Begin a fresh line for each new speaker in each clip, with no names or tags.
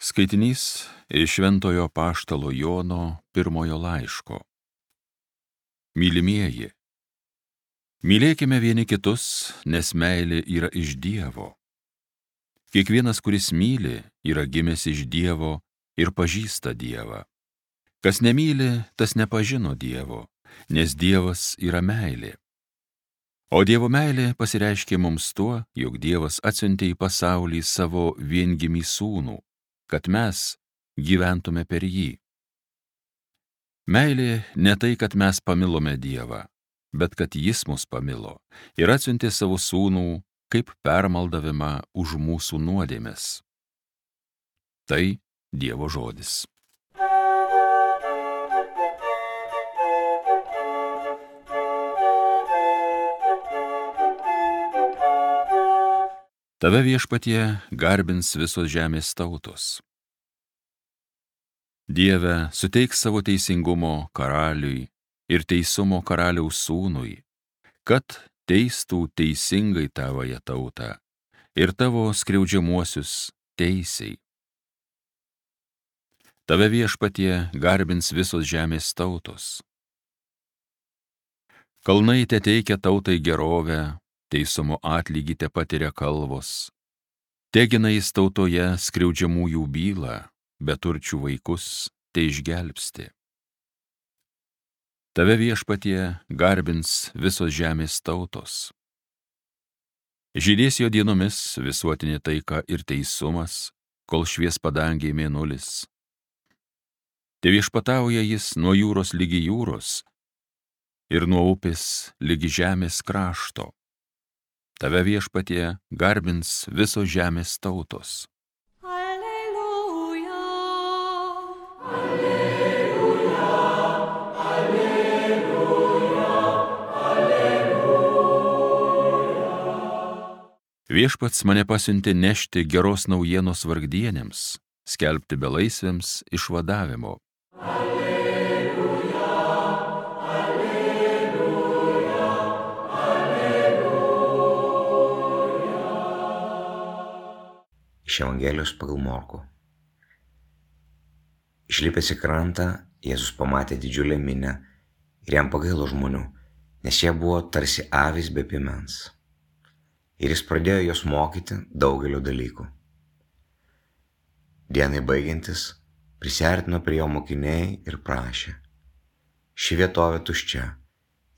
Skaitinys iš Šventojo Apaštalo Jono pirmojo laiško. Mylimieji, mylėkime vieni kitus, nes meilė yra iš Dievo. Kiekvienas, kuris myli, yra gimęs iš Dievo ir pažįsta Dievą. Kas nemyli, tas nepažino Dievo, nes Dievas yra meilė. O Dievo meilė pasireiškė mums tuo, jog Dievas atsiuntė į pasaulį savo viengimį sūnų, kad mes gyventume per jį. Meilė ne tai, kad mes pamilome Dievą, bet kad Jis mus pamilo ir atsiuntė savo sūnų kaip permaldavimą už mūsų nuodėmes. Tai Dievo žodis. Tave, Viešpatie, garbins visos žemės tautos. Dieve, suteik savo teisingumo karaliui ir teisumo karaliaus sūnui, kad teistų teisingai tavąją tautą ir tavo skriaudžiamuosius teisiai. Tave, Viešpatie, garbins visos žemės tautos. Kalnai teteikia tautai gerovę, teisumo atlygį tepatiria kalvos. Tegina jis tautoje skriaudžiamųjų bylą, beturčių vaikus teišgelbsti. Tave, Viešpatie, garbins visos žemės tautos. Žydės jo dienomis visuotinė taika ir teisumas, kol švies padangėj mėnulis. Te viešpatauja jis nuo jūros ligi jūros ir nuo upės ligi žemės krašto. Tave, Viešpatie, garbins visos žemės tautos.
Alleluja.
Alleluja, alleluja, alleluja.
Viešpats mane pasiuntė nešti geros naujienos vargdienėms, skelbti belaisvėms išvadavimo.
Alleluja, alleluja, alleluja.
Iš Evangelijos pagal Morkų. Išlipęs į krantą, Jėzus pamatė didžiulę minią ir jam pagailo žmonių, nes jie buvo tarsi avys be piemens. Ir jis pradėjo juos mokyti daugelio dalykų. Dienai baigiantis, prisiartino prie jo mokiniai ir prašė: ši vietovė tuščia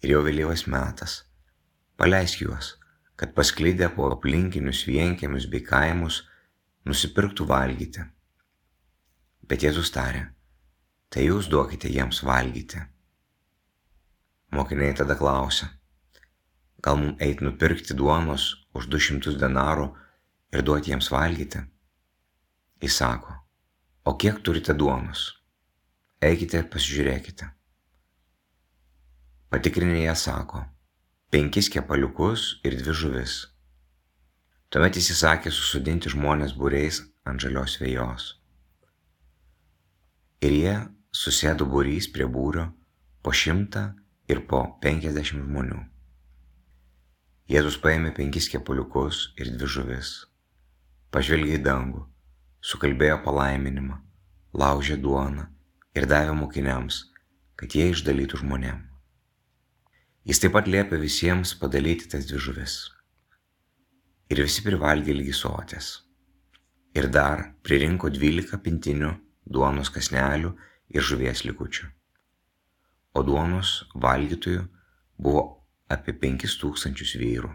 ir jau vėlyvas metas, paleisk juos, kad pasklidę po aplinkinius vienkiemius bei kaimus nusipirktų valgyti. Bet Jėzus tarė: tai jūs duokite jiems valgyti. Mokiniai tada klausė: gal mums eit nupirkti duonos už 200 denarų ir duoti jiems valgyti? Jis sako: o kiek turite duonos? Eikite ir pasižiūrėkite. Patikrinę jie sako: 5 kepaliukus ir 2 žuvis. Tuomet jis įsakė susodinti žmones būriais ant žalios vejos. Ir jie susėdo būrys prie būrio po 100 ir po 50 žmonių. Jėzus paėmė 5 kepaliukus ir 2 žuvis, pažvelgė į dangų, sukalbėjo palaiminimą, laužė duoną ir davė mokiniams, kad jie išdalytų žmonėm. Jis taip pat liepė visiems padalyti tas 2 žuvis. Ir visi privalgė ligi soties. Ir dar pririnko 12 pintinių duonos kąsnelių ir žuvies likučių. O duonos valgytojų buvo apie 5000 vyrų.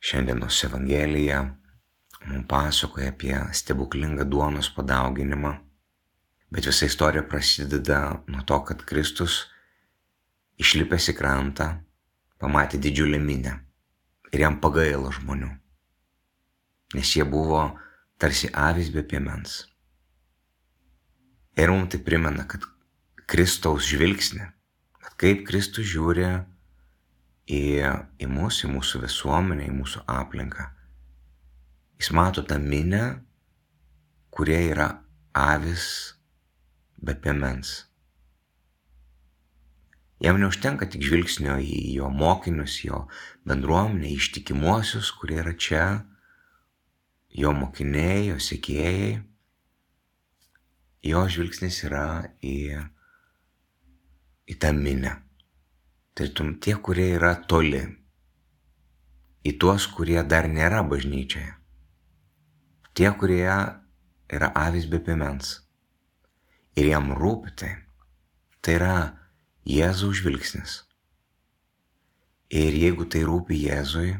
Šiandienos Evangelija mums pasakoja apie stebuklingą duonos padauginimą, bet visa istorija prasideda nuo to, kad Kristus, išlipęs į krantą, pamatė didžiulę minią ir jam pagailo žmonių, nes jie buvo tarsi avys be piemens. Ir mums tai primena, kad Kristaus žvilgsnį, kad kaip Kristus žiūri į mus, į mūsų visuomenę, į mūsų aplinką. Jis mato tą minią, kurie yra avys be piemens. Jam neužtenka tik žvilgsnio į jo mokinius, jo bendruomenę, ištikimuosius, kurie yra čia, jo mokiniai, jo sekėjai. Jo žvilgsnis yra į tą minę. Tartum tie, kurie yra toli, į tuos, kurie dar nėra bažnyčioje. Tie, kurie yra avys be piemens. Ir jam rūpi tai. Tai yra Jėzaus žvilgsnis. Ir jeigu tai rūpi Jėzui,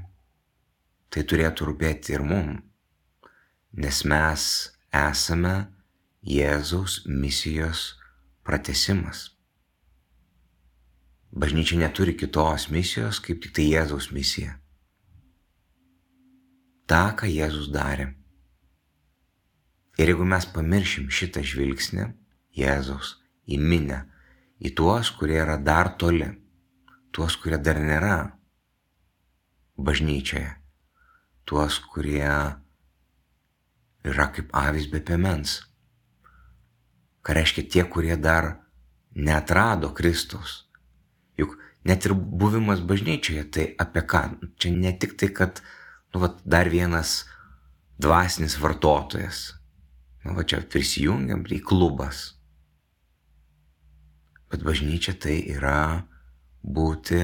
tai turėtų rūpėti ir mum, nes mes esame Jėzaus misijos pratęsimas. Bažnyčia neturi kitos misijos, kaip tik tai Jėzaus misija. Ta, ką Jėzus darė. Ir jeigu mes pamiršim šitą žvilgsnį Jėzaus į minę, į tuos, kurie yra dar toli, tuos, kurie dar nėra bažnyčioje, tuos, kurie yra kaip avys be piemens. Ką reiškia tie, kurie dar neatrado Kristaus. Juk net ir buvimas bažnyčioje, tai apie ką? Čia ne tik tai, kad dar vienas dvasinis vartotojas. Čia prisijungiam į klubas. Bet bažnyčia tai yra būti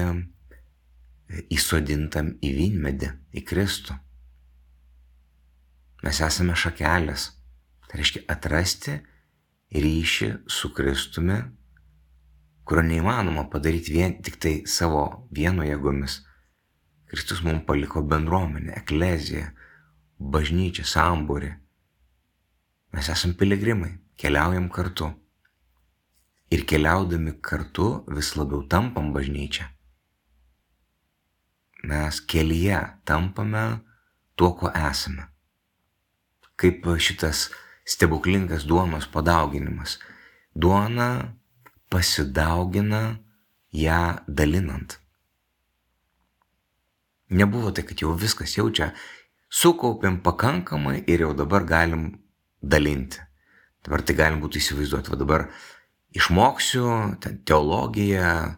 įsodintam į vynmedį, į Kristų. Mes esame šakelės. Tai reiškia atrasti ryšį su Kristumi, kurio neįmanoma padaryti vien tik tai savo vieno jėgomis. Kristus mums paliko bendruomenę, ekleziją, bažnyčią, sambūrį. Mes esame piligrimai, keliaujam kartu. Ir keliaudami kartu vis labiau tampam bažnyčią. Mes kelyje tampame tuo, ko esame. Kaip šitas stebuklingas duonos padauginimas. Duona pasidaugina ją dalinant. Nebuvo tai, kad jau viskas čia sukaupėm pakankamai ir jau dabar galim dalinti. Dabar tai galim būtų įsivaizduoti. Va dabar išmoksiu teologiją,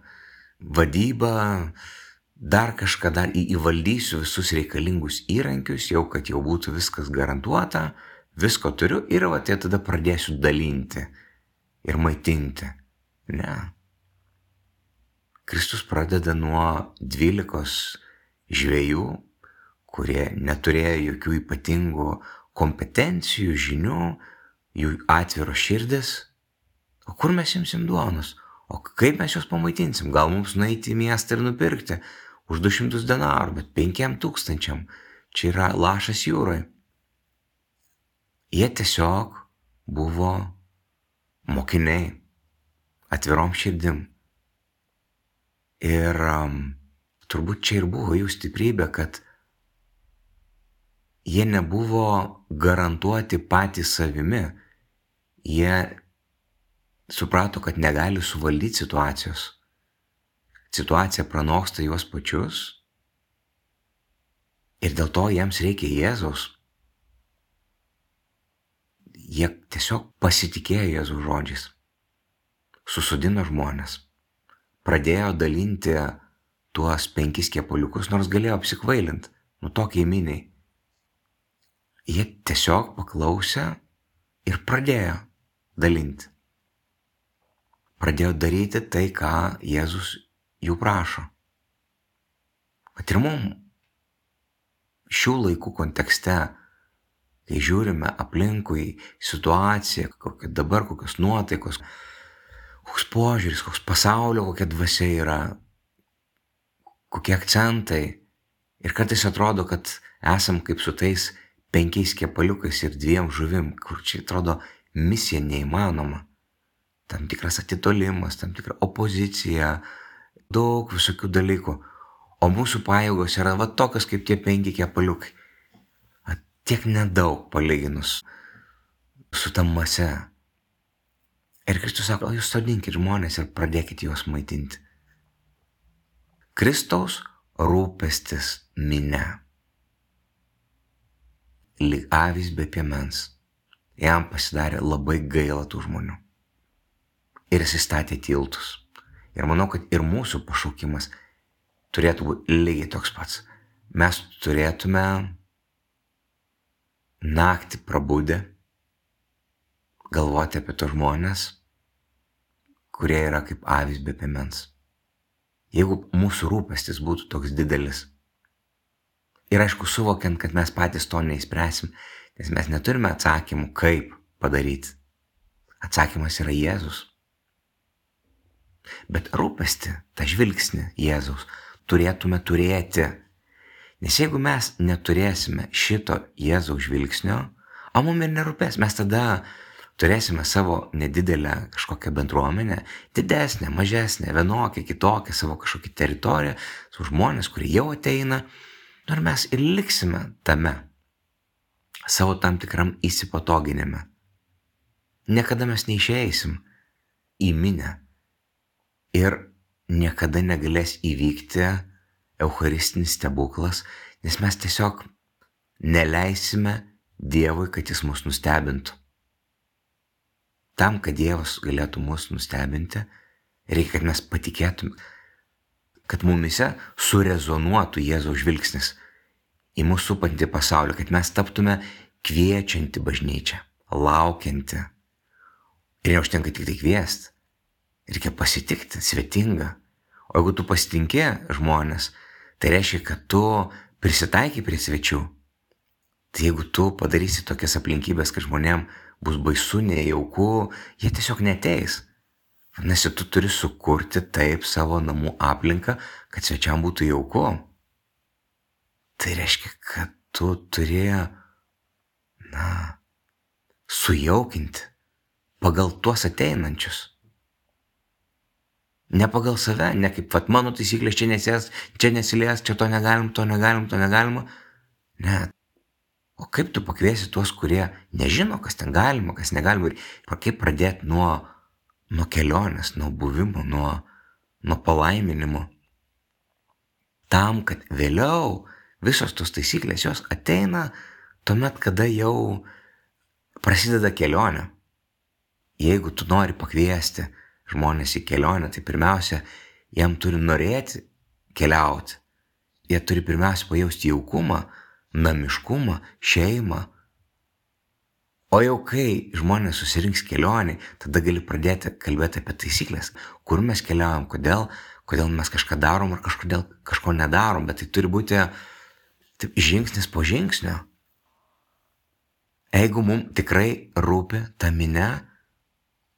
vadybą, dar kažką dar įvaldysiu visus reikalingus įrankius, jau kad jau būtų viskas garantuota, visko turiu ir va tai tada pradėsiu dalinti ir maitinti. Ne. Kristus pradeda nuo 12 žvejų, kurie neturėjo jokių ypatingų kompetencijų, žinių, jų atviros širdis. O kur mes imsim duonos? O kaip mes juos pamaitinsim? Gal mums nueiti į miestą ir nupirkti už 200 denarų, bet 5000. Čia yra lašas jūroje. Jie tiesiog buvo mokiniai, atvirom širdim. Ir turbūt čia ir buvo jų stiprybė, kad jie nebuvo garantuoti patys savimi. Jie suprato, kad negali suvaldyti situacijos. Situacija pranoksta juos pačius ir dėl to jiems reikia Jėzaus. Jie tiesiog pasitikėjo Jėzaus žodžiais. Susodino žmonės. Pradėjo dalinti tuos 5 kepaliukus, nors galėjo apsikvailinti, tokiai miniai. Jie tiesiog paklausė ir pradėjo dalinti. Pradėjo daryti tai, ką Jėzus jų prašo. Bet ir mums šių laikų kontekste, kai žiūrime aplinkui situaciją, kokia dabar, kokios nuotaikos, koks požiūris, koks pasaulio, kokia dvasia yra, kokie akcentai. Ir kartais atrodo, kad esam kaip su tais 5 kepaliukais ir 2 žuvim, kur čia atrodo misija neįmanoma. Tam tikras atitolimas, tam tikra opozicija, daug visokių dalykų. O mūsų pajėgos yra tokios kaip tie 5 kepaliukai. Tiek nedaug palyginus su ta mase. Ir Kristus sako, jūs sodinkit žmonės ir pradėkit juos maitinti. Kristaus rūpestis minia. Lyg avys be piemens. Jam pasidarė labai gaila tų žmonių. Ir jis statė tiltus. Ir manau, kad ir mūsų pašaukimas turėtų būti lygiai toks pats. Mes turėtume naktį prabudę galvoti apie tos žmonės, kurie yra kaip avys be piemens. Jeigu mūsų rūpestis būtų toks didelis, ir aišku suvokiant, kad mes patys to neįspręsim, nes mes neturime atsakymų, kaip padaryti. Atsakymas yra Jėzus. Bet rūpestį, tą žvilgsnį Jėzaus turėtume turėti. Nes jeigu mes neturėsime šito Jėzaus žvilgsnio, o mums ir nerūpės, mes tada turėsime savo nedidelę kažkokią bendruomenę, didesnę, mažesnę, vienokią, kitokią, savo kažkokią teritoriją, su žmonės, kurie jau ateina, ir mes ir liksime tame, savo tam tikram įsipatoginime. Niekada mes neišeisim į minią ir niekada negalės įvykti eucharistinis stebuklas, nes mes tiesiog neleisime Dievui, kad jis mus nustebintų. Tam, kad Dievas galėtų mus nustebinti, reikia, kad mes patikėtume, kad mumise surezonuotų Jėzaus žvilgsnis į mūsų supantį pasaulį, kad mes taptume kviečianti bažnyčią, laukianti. Ir neužtenka tik tai kviesti, reikia pasitikti, svetinga. O jeigu tu pasitinki žmonės, tai reiškia, kad tu prisitaikai prie svečių. Tai jeigu tu padarysi tokias aplinkybės, kad žmonėm bus baisu, nejauku, jie tiesiog neteis. Vadinasi, tu turi sukurti taip savo namų aplinką, kad svečiam būtų jauku. Tai reiškia, kad tu turi, sujaukinti pagal tuos ateinančius. Ne pagal save, ne kaip, mano taisyklės čia nesilies, čia to negalima. Ne. O kaip tu pakviesi tuos, kurie nežino, kas ten galima, kas negalima, ir kaip pradėti nuo kelionės, nuo buvimo, nuo palaiminimo. Tam, kad vėliau visos tos taisyklės jos ateina tuomet, kada jau prasideda kelionė. Jeigu tu nori pakviesti žmonės į kelionę, tai pirmiausia, jam turi norėti keliauti. Jie turi pirmiausia pajausti jaukumą, namiškumą, šeimą. O jau kai žmonės susirinks kelionį, tada gali pradėti kalbėti apie taisyklės, kur mes keliaujam, kodėl mes kažką darom ar kažko nedarom, bet tai turi būti taip, žingsnis po žingsnio. Jeigu mums tikrai rūpi ta minia,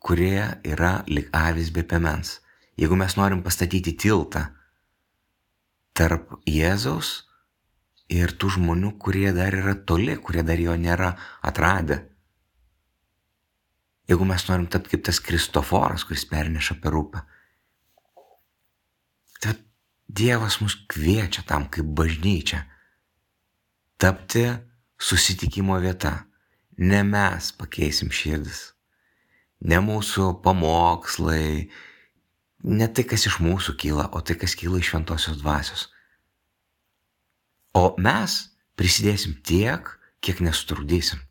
kurie yra lyg avys be piemens. Jeigu mes norim pastatyti tiltą tarp Jėzaus ir tų žmonių, kurie dar yra toli, kurie dar jo nėra atradę. Jeigu mes norim tapti kaip tas Kristoforas, kuris perneša per upę. Tai Dievas mus kviečia tam kaip bažnyčia tapti susitikimo vieta. Ne mes pakeisim širdis. Ne mūsų pamokslai, ne tai, kas iš mūsų kyla, o tai, kas kyla iš šventosios dvasios. O mes prisidėsim tiek, kiek nesutrukdysim,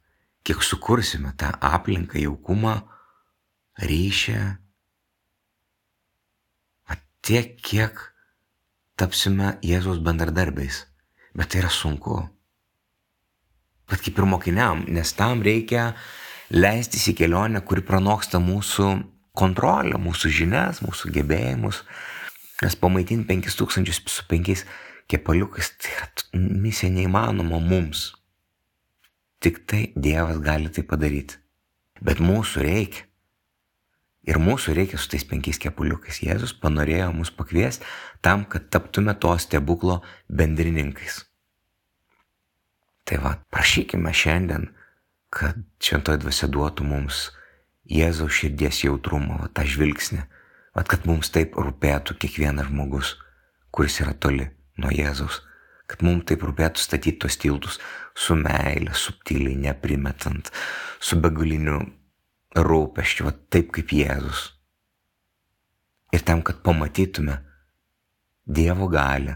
kiek sukursime tą aplinką, jaukumą, ryšį, tiek, kiek tapsime Jėzaus bendradarbiais. Bet tai yra sunku. Bet kaip ir mokiniam, nes tam reikia leistis į kelionę, kuri pranoksta mūsų kontrolę, mūsų žinias, mūsų gebėjimus. Nes pamaitinti 5000 su 5 kepaliukais, tai yra misija neįmanoma mums. Tik tai Dievas gali tai padaryti. Bet mūsų reikia. Ir mūsų reikia su tais 5 kepaliukais. Jėzus panorėjo mus pakviesti tam, kad taptume to stebuklo bendrininkais. Tai prašykime šiandien, kad šventoji dvasia duotų mums Jėzaus širdies jautrumą, tą žvilgsnį, kad mums taip rūpėtų kiekvienas žmogus, kuris yra toli nuo Jėzaus, kad mums taip rūpėtų statyti tos tiltus su meile, subtiliai, neprimetant, su begaliniu rūpesčiu, taip kaip Jėzus. Ir tam, kad pamatytume Dievo galią,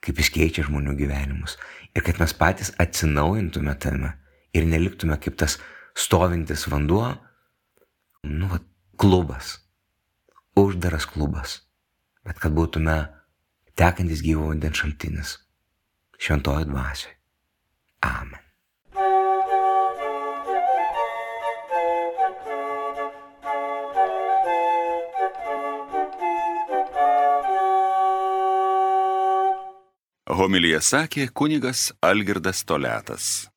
kaip jis keičia žmonių gyvenimus, ir kad mes patys atsinaujintume tame ir neliktume kaip tas stovintis vanduo, klubas, uždaras klubas. bet kad būtume tekantis gyvo vandens šaltinis šventojo dvasioje. Amen.
Homiliją sakė kunigas Algirdas Toliatas.